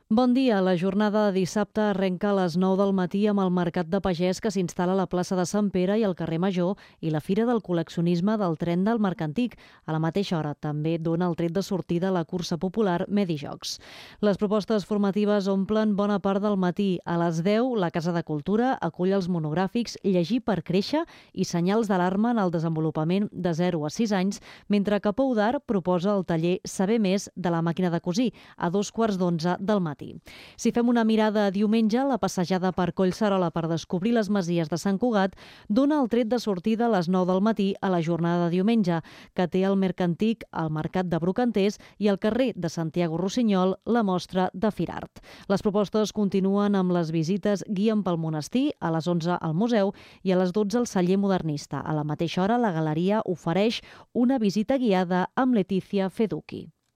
Bon dia. La jornada de dissabte arrenca a les 9 del matí amb el Mercat de Pagès que s'instal·la a la plaça de Sant Pere i al carrer Major i la Fira del Col·leccionisme del Tren del Mercantic. A la mateixa hora també dona el tret de sortida la cursa popular Medijocs. Les propostes formatives omplen bona part del matí. A les 10, la Casa de Cultura acull els monogràfics Llegir per créixer i senyals d'alarma en el desenvolupament de 0 a 6 anys, mentre que Pou d'Art proposa el taller Saber més de la màquina de cosir a 2:15 del matí. Si fem una mirada a diumenge, la passejada per Collserola per descobrir les masies de Sant Cugat dona el tret de sortida a les 9 del matí a la jornada de diumenge, que té al Mercantic, al Mercat de Brocanters i al carrer de Santiago Rossinyol la mostra de Firart. Les propostes continuen amb les visites Guien pel monestir, a les 11 al museu i a les 12 al celler modernista. A la mateixa hora, la galeria ofereix una visita guiada amb Letícia Feducchi.